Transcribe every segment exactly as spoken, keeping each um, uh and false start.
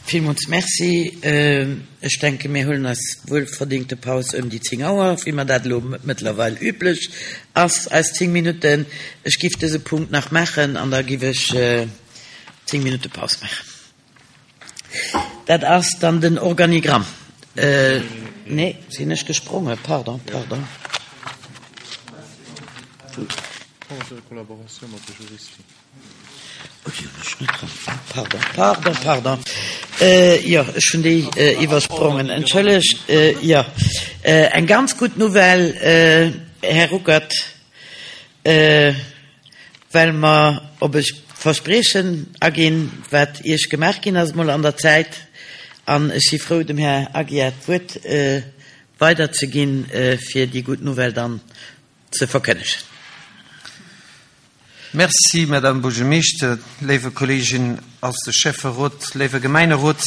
Villmools Merci. Ech denken, mir huelen eis wuelverdingte Paus ëm déi zéng Auer, wéi mer dat elo mëttlerweil üblech ass, eis zéng Minutten. Ech giff dëse Punkt nach maachen an da giff ech zéng Minutte Paus maachen. Dat ass dann den Organigramm. Nee, sinn ech gesprongen? Pardon, pardon. Pardon, pardon, pardon. Jo, ech hunn déi iwwersprongen. Entschëllegt. Jo, eng ganz gutt Nouvelle, Här Ruckert, well mer op e Verspriechen aginn, wat Iech gemaach ginn ass emol an der Zäit. An ech si frou, dem Här Aguiar d'Wuert weiderzeginn, fir déi gutt Nouvelle dann ze verkënnegen. Merci, Madame Buergermeeschter, léiwe Kolleegen aus de Schäfferot, léiwe Gemeinerot.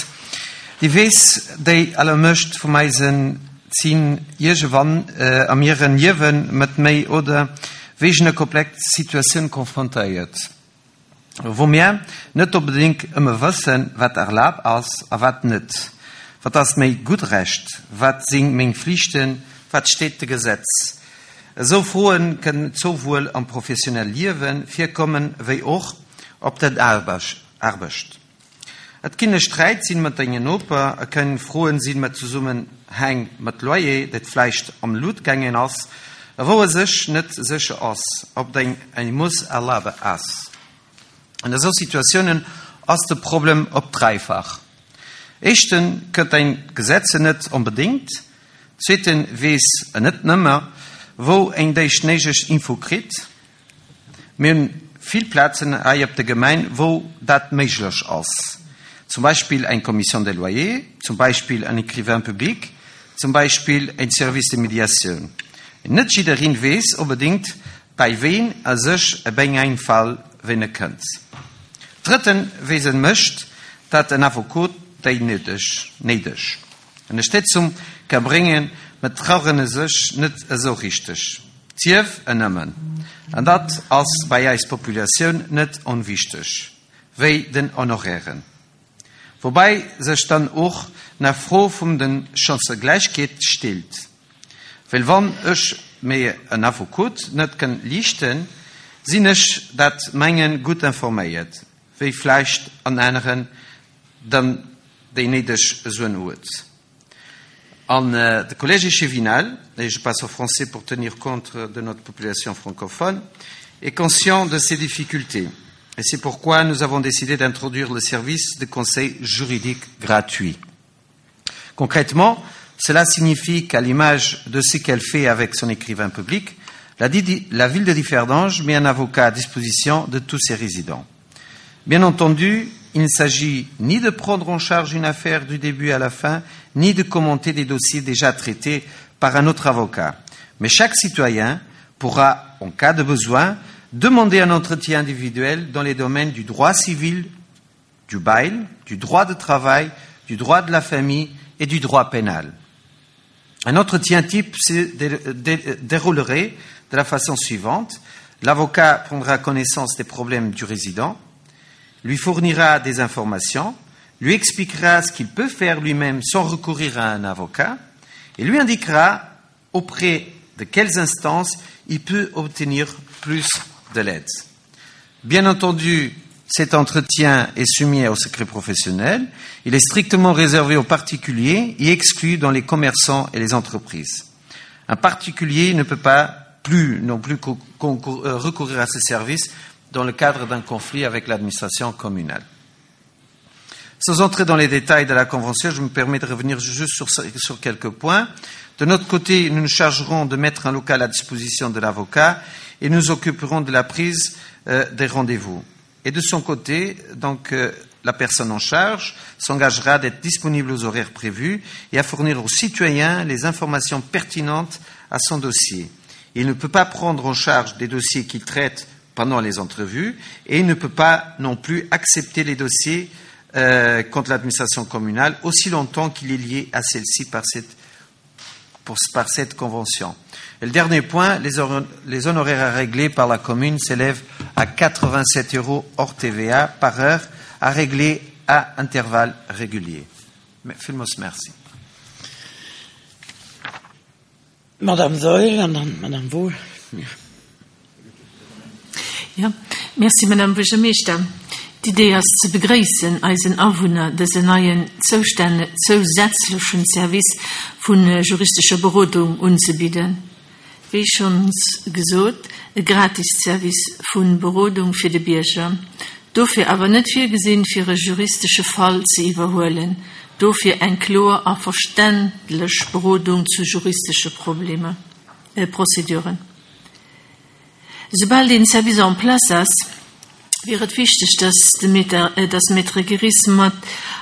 Déi weess, déi allermëscht vum eisen zinn iergewann am hiren Liewen mat méi oder wéigener komplex Situatioun konfrontéiert, wou mir net onbedéngt ëmmer wëssen, wat erlaabt ass a wat net. Wat ass méi gutt Recht? Wat sinn meng Flichten? Wat steet de Gesetz? Esou Froen kënnen souwuel am professionelle Liewe virkommen, wéi och op der Aarbecht. Et kinne Sträit sinn mat dengen Noper, et kënnen Froen sinn mat Zesummenhäng mat Loyer, dat vläicht am Lut gaangen ass, a wou e sech net sécher ass, ob deng eng muss erlabe ass. An esou Situatiounen ass de Problem op dräifach. Éischten kënnt een d'Gesetze net onbedéngt, zweeten weess en net nëmmer, wou een déi néideg Info kritt. Mir hunn vill Plazen hei op der Gemeng, wou dat méiglech ass. Zum Beispill eng Commission des loyers, zum Beispill en Écrivain public, zum Beispill en Service de médiatioun. Net jiddereen weess onbedéngt, bei ween e sech bei engem Fall wenne kënnt. Drëtten weess en mécht dat en Affekot déi néideg néideg Ënnerstëtzung ka bréngen, mä trauen e sech net esou richteg. Sief en nëmmen, an dat ass bei eis Populatioun net onwichteg, wéi den Honorairen. Woubäi sech dann och nach Fro vum den Chancëgläichkeet stellt. Well wann ech mir en Affekot net kënn liichten, sinn ech dat mengen gutt informéiert, wéi vläicht an aneren dann déi néideg Suen huet. An de Collège échevinal, et je passe au français pour tenir compte de notre population francophone, est conscient de ces difficultés. Et c'est pourquoi nous avons décidé d'introduire le service de conseil juridique gratuit. Concrètement, cela signifie qu'à l'image de ce qu'elle fait avec son écrivain public, la, la ville de Differdange met un avocat à disposition de tous ses résidents. Bien entendu, il ne s'agit ni de prendre en charge une affaire du début à la fin, ni de commenter des dossiers déjà traités par un autre avocat. Mais chaque citoyen pourra, en cas de besoin, demander un entretien individuel dans les domaines du droit civil, du bail, du droit de travail, du droit de la famille et du droit pénal. Un entretien type se déroulerait de la façon suivante. L'avocat prendra connaissance des problèmes du résident, lui fournira des informations, lui expliquera ce qu'il peut faire lui-même sans recourir à un avocat et lui indiquera auprès de quelles instances il peut obtenir plus de l'aide. Bien entendu, cet entretien est soumis au secret professionnel. Il est strictement réservé aux particuliers et exclu dans les commerçants et les entreprises. Un particulier ne peut pas plus non plus recourir à ce service dans le cadre d'un conflit avec l'administration communale. Sans entrer dans les détails de la Convention, je me permets de revenir juste sur, sur quelques points. De notre côté, nous nous chargerons de mettre un local à disposition de l'avocat et nous occuperons de la prise euh, des rendez-vous. Et de son côté, donc, euh, la personne en charge s'engagera d'être disponible aux horaires prévus et à fournir aux citoyens les informations pertinentes à son dossier. Il ne peut pas prendre en charge des dossiers qu'il traite pendant les entrevues et il ne peut pas non plus accepter les dossiers euh, contre l'administration communale aussi longtemps qu'il est lié à celle-ci par cette, pour, par cette convention. Et le dernier point, les, les honoraires à régler par la commune s'élèvent à quatre-vingt-sept euros hors T V A par heure à régler à intervalles réguliers. Villmools Merci. Madame Saeul an dann Madame Wohl. Ja, merci Madame Buergermeeschter. D'Idee ass ze begréissen, eisen Awunner dësen neien zousätzlechen Service vu juristescher Berodung unzebidden. Wéi schonns gesot, e gratis Service vu Berodung fir de Bierger. Dofir awer net virgesinn, fir e juristesche Fall ze iwwerhuelen. Dofir eng kloer a verständlech Berodung zu juristesche Problemer, äh, Prozeduren. Soubal deen Service en place ass, wier et wichteg, dass de Maître, äh, dass Maître Giris mat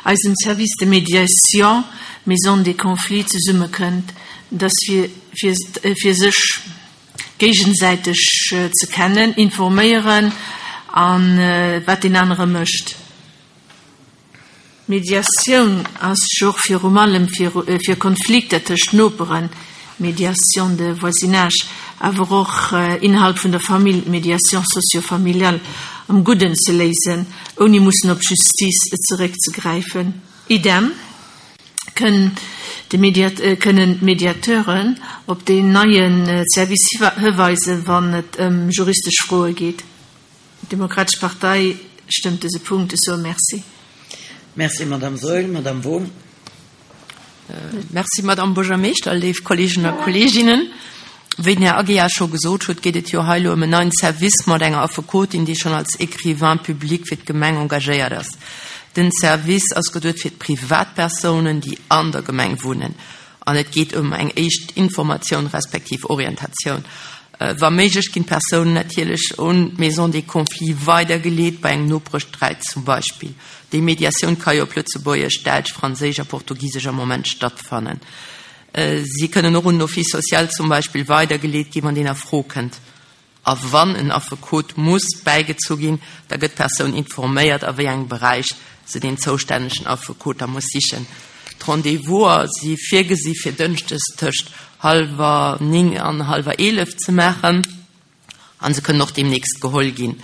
eisem Service de Médiation Maison des Conflits zesummekënnt, dass fir, fir, äh, fir sech géigesäiteg äh, ze kennen, informéieren an äh, wat deen anere mécht. Mediatioun ass jo och virun allem fir, äh, fir Konflikter tëscht Noperen, Médiation de voisinage, awer och äh, innerhalb vun der Famill, Médiation socio-familiale, am Gudden ze léisen, ouni mussen op Justiz zeréckzegräifen. Idem kënnen de Mediat äh, kënnen Mediateuren op den neien äh, Service hiweisen, wann et ëm juristesch Froe geet. D'Demokratesch Partei stëmmt dëse Punkt esou. Merci. Merci Madame Saeul. Madame Wohl. Merci Madame Buergermeeschter, léif Kolleegen a Kolleeginnen. Wéi den Här Aguiar scho gesot huet, geet et jo hei elo ëm en neien Service mat enger Affekotin, déi schonn als Écrivain public fir d'Gemeng engagéiert ass. Den Service ass geduecht fir Privatpersounen, déi an der Gemeng wunnen. An et geet ëm eng éischt Informatioun respektiv Orientatioun. Äh, wa méiglech ginn d'Persounen natierlech un d'Maison des Conflits weidergeleet bei engem Nopeschsträit zum Beispill. Déi Mediatioun ka jo op Lëtzebuergesch, Däitsch, Franséisch a Portugisesch am Moment stattfannen. Äh, si kënnen och un den Office social zum Beispill weidergeleet ginn, wann deen a Fro kënnt. A wann en Affekot muss bäigezu ginn, da gëtt d'Persoun informéiert, a wéi engem Beräich se den zoustännegen Affekot da muss sichen. D'Rendez-vouser si virgesi fir dënschdes tëscht hallwer néng an hallwer eelef ze maachen an se kënnen och deemnächst geholl ginn.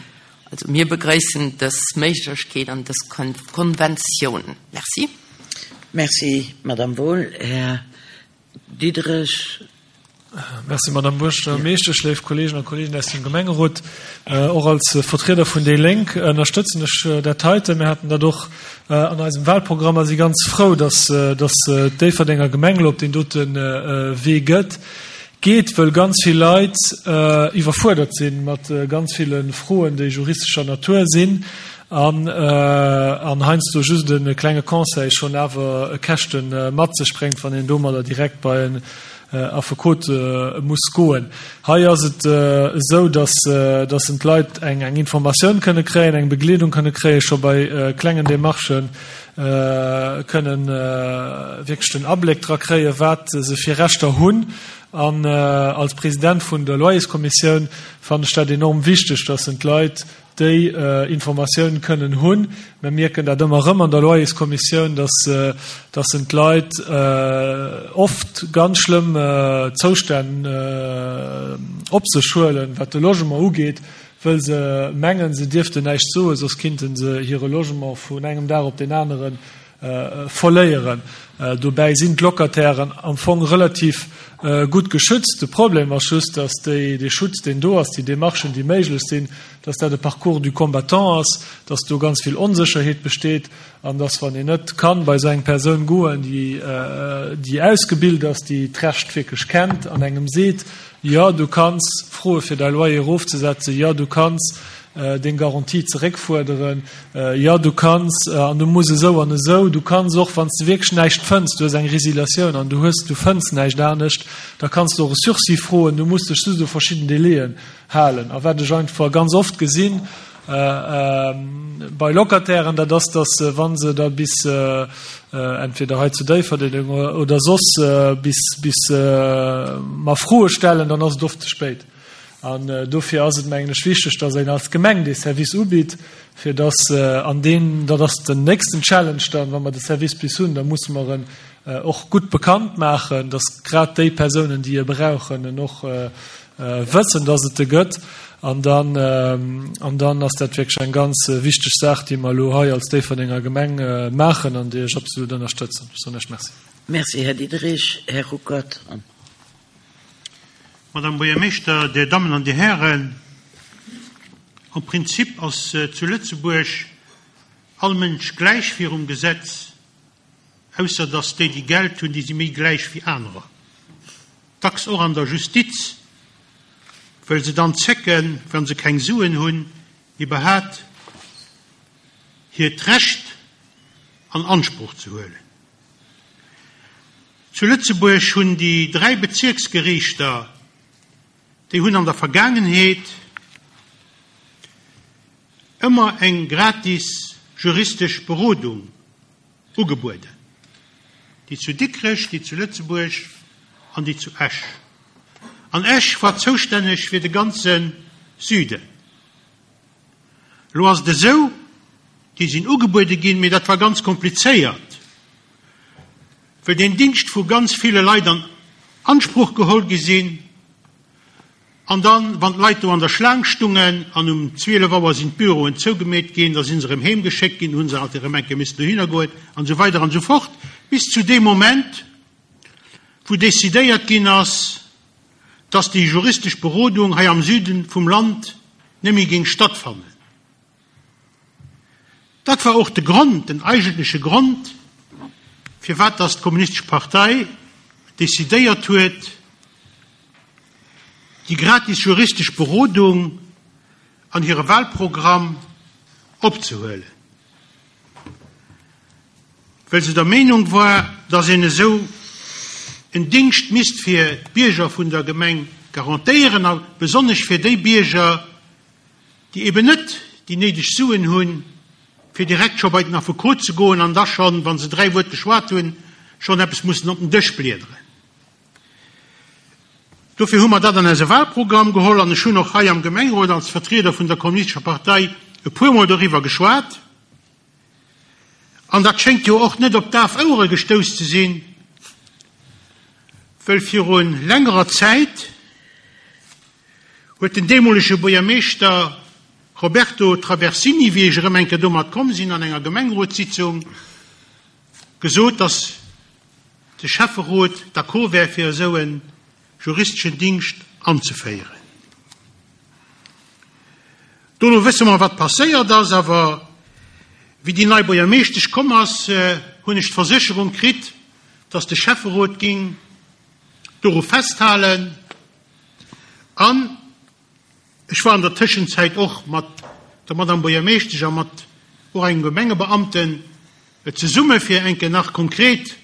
Also mir begréissen dës Méiglechkeet an dës Konventioun. Merci. Merci Madame Wohl. Här Diderich. Merci Madame Buergermeeschtesch, léif Kolleegen a Kolleeginnen aus dem Gemengerot. Äh, och als Vertrieder vun déi Lénk ënnerstëtzen ech äh, dat heiten. Mir haten dat och äh, an eisem Wahlprogramm a si ganz frou, dass, äh, dass äh, d'Déifferdenger Gemeng elo op deen doten äh, Wee gëtt. Geet, wëll ganz vill Leit äh, iwwerfuerdert sinn mat äh, ganz ville Froen, déi juristescher Natur sinn an, äh, an heiansdo just e klenge Conseil schonn awer Käschten äh, mat sech bréngt, wann een domadder direkt bei en äh, Affekot äh, muss goen. Hei ass et äh, esou, dass, äh, dass d'Leit eng, eng Informatioun kënne kréien, eng Begleedung kënne kréien, scho bei äh, klengen Demarchen äh, kënnen äh, wierklech den Abléck dra kréien, wat se fir Rechter hunn. An äh, als President vun der Loyerskommissioun fannen ech dat enorm wichteg, dass d'Leit déi äh, Informatioun kënnen hunn. Mir mierken dat ëmmer rëm an der Loyerskommissioun, dass, äh, dass d'Leit äh, oft ganz schlëmm äh, Zoustänn äh, op sech huelen, wat de Logement ugeet, wëll se mengen, se dierften näischt soen, soss kinnten se hire Logement vun engem Dag op den aneren äh, verléieren. Äh, dobäi sinn d'Locatairen am Fong relativ äh, gutt geschützt. De Problem ass just, dass déi, de Schutz, deen do ass, déi Demarchen, déi méiglech sinn, dass dat de Parcours du combattant ass, dass do ganz vill Onsécherheet besteet an dass wann een net kann bei esou eng Persoun goen, déi, äh, déi ausgebilt ass, déi d'Recht wierklech kennt an engem seet, jo du kanns froe fir däi Loyer erofzesetzen, jo du kanns äh, deng Garantie zeréckfuerderen, äh, jo du kanns äh, an du muss esou an esou, du kanns och wann s du wierklech näischt fënns, du hues eng Resiliatioun an du hues du fënns näischt anescht, da kanns du och e Sursis froen, du muss dech just u verschidden Délaiën halen. A wat ech einfach ganz oft gesinn äh, äh, bei Locatairen, dat ass, dass äh, wann se da bis äh, äh, entweder hei zu Déifferdeng oder soss äh, bis bis äh, mer Froe stellen, dann ass et oft ze spéit. An äh, dofir ass et mengen ech wichteg, dass een als Gemeng de Service ubitt, fir dass äh, an den dat ass den nächsten Challenge dann, wann mer de Service bis hunn, da musse mer en äh, och gutt bekannt maachen, dass grad déi Persounen, déi e brauchen, en och äh, äh, wëssen, dass et e gëtt. An dann, an dann ass dat wierklech eng ganz wichteg Saach, déi mer elo hei als Déifferdenger Gemeng maachen an déi ech absolut ënnerstëtzen. Ech soen Iech Merci. Merci, Här Diderich. Här Ruckert. Madame Buergermeeschter, Dir Dammen an Dir Hären, am Prinzip ass zu Lëtzebuerg all Mënsch gläich virum Gesetz, ausser dass déi, déi Geld hunn, déi si méi gläich wéi anerer. Dacks och an der Justiz, wëll se dann zécken, wa se keng Suen hunn, iwwerhat hiert Recht an Ansproch ze huelen. Zu Lëtzebuerg hunn déi dräi Bezierksgeriichter, déi hunn an der Vergaangenheet ëmmer eng gratis juristesch Berodung ugebueden, déi zu Dikrech, déi zu Lëtzebuerg an déi zu Esch. An Esch war zoustänneg fir de ganze Süden. Elo ass et esou, déi sinn ugebuede ginn, mee dat war ganz komplizéiert, well deen Dingscht vu ganz ville Leit an Ansproch geholl gi sinn. An dann, wann d'Leit do an der Schlaang stungen an um zwielef Auer sinn d'Büroen zougemeet ginn, da si se erëm heem geschéckt ginn, hu se alt erëm eng Kéier missen dohinner goen an esou weider an esou fort, bis zu deem Moment, wou decidéiert ginn ass, dass déi juristesch Berodung hei am Süden vum Land net méi géing stattfannen. Dat war och de Grond, den eigentleche Grond, firwat dass d'Kommunistesch Partei decidéiert huet, déi gratis juristesch Berodung an hire Wahlprogramm opzehuelen, well se der Meenung war, dass een esou en Dingscht misst fir d'Bierger vun der Gemeng garantéieren, a besonnesch fir déi Bierger, déi eben net déi néideg Suen hunn, fir direkt scho bei den Affekot ze goen an da schonn, wa se dräi Wuert geschwat hunn, schonn eppes mussen op den Dësch bliederen. Dofir hu mer dat an eise Wahlprogramm geholl an ech hunn och hei am Gemengerot als Vertrieder vun der Kommunistescher Partei e puermol doriwwer geschwat. An dat schéngt jo och net op daf Ouere gestouss ze sinn, wëll viru längerer Zäit huet den deemolege Buergermeeschter Roberto Traversini, wéi ech erëm eng Kéier domat komm sinn an enger Gemengerotssitzung, gesot, datt de Schäfferot d'accord wär fir esou e juristeschen Dingscht anzeféieren. Dono wësse mer, wat passéiert ass, awer wéi déi nei Buergermeeschtesch komm ass, hunn ech d'Versécherung kritt, datt de Schäfferot ging doru festhalen. An ech war an der Tëschenzäit och mat der Madame Buergermeeschtesch a mat och engem Gemengebeamten zesumme fir eng Kéier nach konkret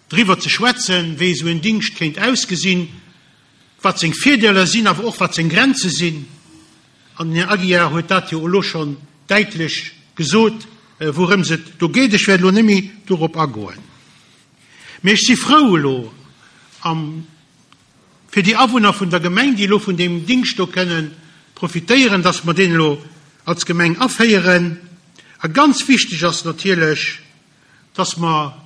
driwwer ze schwätzen, wéi esou en Dingscht kéint ausgesinn, wat seng Virdeeler sinn, awer och wat seng Grenze sinn. An den Här Aguiar huet dat jo elo schonn däitlech gesot, wourëms et do geet. Ech wäert elo net méi dorop agoen. Mee ech si frou elo am fir déi Awunner vun der Gemeng, déi elo vun deem Dingscht do kënnen profitéieren, dass mer deen elo als Gemeng aféieren. A ganz wichteg ass natierlech, dass mer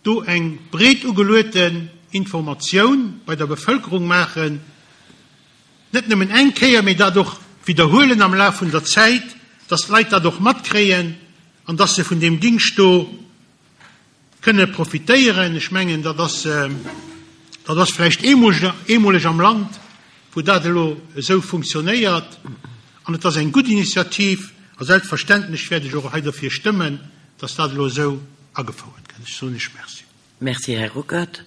do eng breet ugelueten Informatioun bei der Bevëlkerung maachen, net nëmmen eng Kéier, mee dat och widderhuelen am Laf vun der Zäit, dass d'Leit dat och matkréien an dass se vun deem Dingscht do kënne profitéieren. Ech mengen, dat ass, dat ass vläicht eemoleg am Land, wou dat elo esou funktionéiert. An et ass eng gutt Initiativ a selbstverständlech wäert ech och hei dofir stëmmen, dass dat elo esou agefouert gëtt. Ech soen Iech Merci. Merci, Här Ruckert.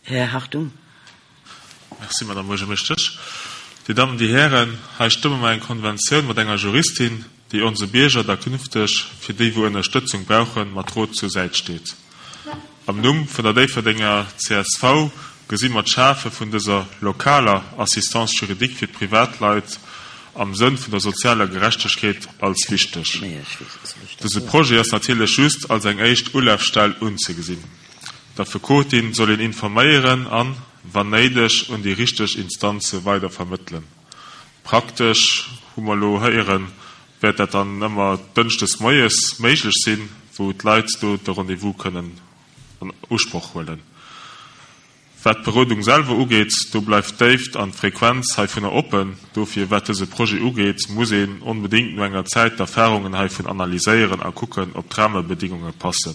Här Hartung. Merci, Madame Buergermeeschtesch. Dir Dammen, Dir Hären, hei stëmme mer eng Konventioun mat enger Juristin, déi onse Bierger da künfteg, fir déi wou Ënnerstëtzung brauchen, mat Rot zur Säit steet. Am Numm vun der Déifferdenger C S V gesi mer d'Schafe vun dëser lokaler Assistance juridique fir Privatleit am Sënn vun der sozialer Gerechtegkeet als wichteg. Dëse Projet ass natierlech just als eng éischt Ulafstell unzegesinn. D'Affekotin soll een informéieren an, wann néideg, un déi richteg Instanze weider vermëttelen. Praktesch, hu mer elo héieren, wäert dat dann ëmmer dënschdes moies méiglech sinn, wou d'Leit do de Rendez-vous kënnen an Usproch huelen. Wat d'Berodung selwer ugeet, do bleift d'Déift an d'Frequenz heivunner oppen. Dofir, wat dëse Projet ugeet, muss een onbedéngt no enger Zäit d'Erfarungen heivun analyséieren a kucken, ob d'Rahmebedingunge passen.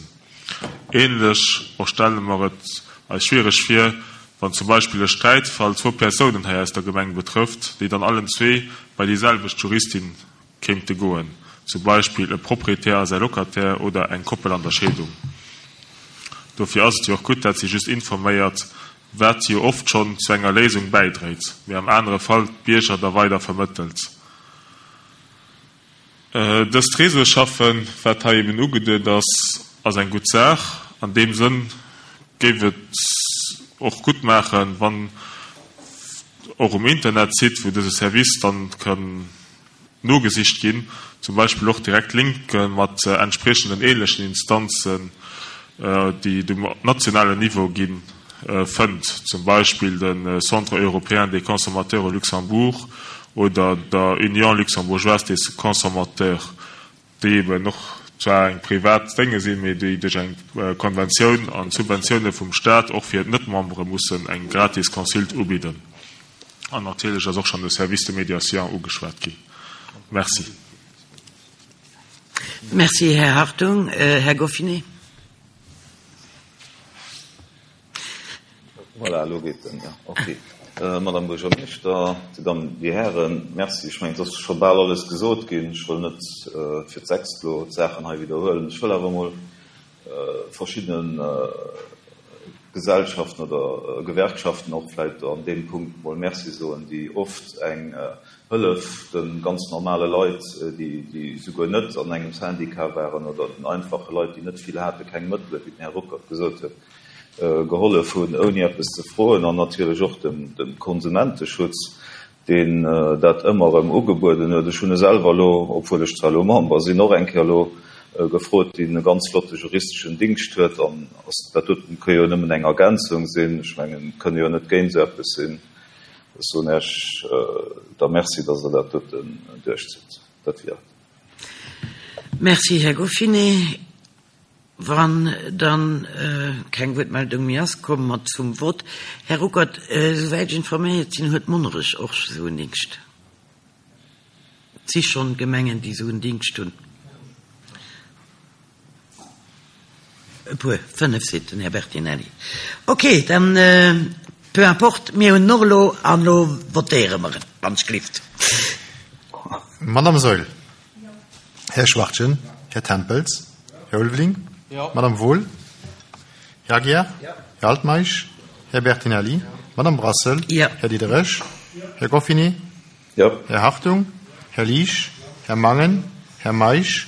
Ähnlech och stelle mer et eis schwiereg vir, wann zum Beispill e Sträitfall zwou Persounen hei aus der Gemeng betrëfft, déi dann allen zwee bei déi selwecht Juristin kéinte goen, zum Beispill e Proprietär a säi Locataire oder eng Koppel an der Scheedung. Dofir ass et jo och gutt, dat si just informéiert, wat jo oft schonn zu enger Léisung bäidréit, mee am anere Fall d'Bierger da weider vermëttelt. Dëst Réseau schaffen, wat hei eben ugeduet ass, ass eng gutt Saach. An deem Sënn géif et och gutt maachen, wann och um Internetsite, wou dëse Service dann kann nogesicht ginn, zum Beispill och direkt Linke mat entspriechenden ähnlechen Instanzen, déi et um nationalen Niveau ginn, fënnt, zum Beispill de Centre européen des consommateurs au Luxembourg oder der Union luxembourgeoise des consommateurs, déi eben och zwar eng privat Dénge sinn, mee déi duerch eng Konventioun an Subventioune vum Staat och fir d'Net-Membere mussen eng gratis Consult ubidden. An natierlech ass och schonn de Service de médiation ugeschwat ginn. Merci. Merci, Här Hartung. Här Goffinet. Voilà, elo geet en, jo. Okay. Madame Buergermeeschter, Dir Dammen, Dir Hären, Merci. Ech mengen, et ass scho bal alles gesot ginn. Ech wëll net fir d'sechst elo d'Saachen hei widderhuelen. Ech wëll awer emol verschiddene Gesellschaften oder Gewerkschaften och vläicht an deem Punkt emol Merci soen, déi oft eng Hëllef de ganz normale Leit, déi, déi souguer net an engem Syndicat waren, oder den einfache Leit, déi net vill haten, keng Mëttele, wéi den Här Ruckert gesot huet, gehollef hunn, ouni eppes ze froen, an natierlech och dem Konsumenteschutz, deen dat ëmmer erëm ugebueden huet. Ech hunn e selwer elo, obwuel ech zwar elo Member sinn, och eng Kéier elo gefrot, deen e ganz flotte juristeschen Dingscht huet. An dat doten ka jo nëmmen eng Ergänzung sinn. Ech mengen, et kënne jo net géint esou eppes sinn. Ech soen Iech da Merci, dass Der dat doten duerchzitt. Dat wier et. Merci, Här Goffinet. Wann dann keng Wuertmeldung méi ass, komme mer zum Vott. Här Ruckert, esouwäit ech informéiert sinn, huet Monnerech och esou en Dingscht. Et si schonn Gemengen, déi esou en Dingscht hunn. E puer, fënnef, seet den Här Bertinelli. Okay, dann, peu importe, mir hunn en och elo an elo votéiere mer, wann ech gelift. Madame Saeul. Här Schwachtgen. Här Tempels. Här Ulveling. Madame Wohl. Här Aguiar. Här Altmeisch. Här Bertinelli. Madame Brassel. Här Diderich. Här Goffinet. Här Hartung. Här Liesch. Här Mangen. Här Meisch.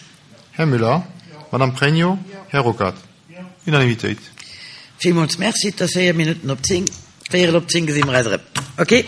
Här Müller. Madame Pregno. Här Ruckert. Unanimitéit. Villmools Merci. Et ass véier Minutten op zéng. Véierel op zéng gesi mer eis erëm. Okay.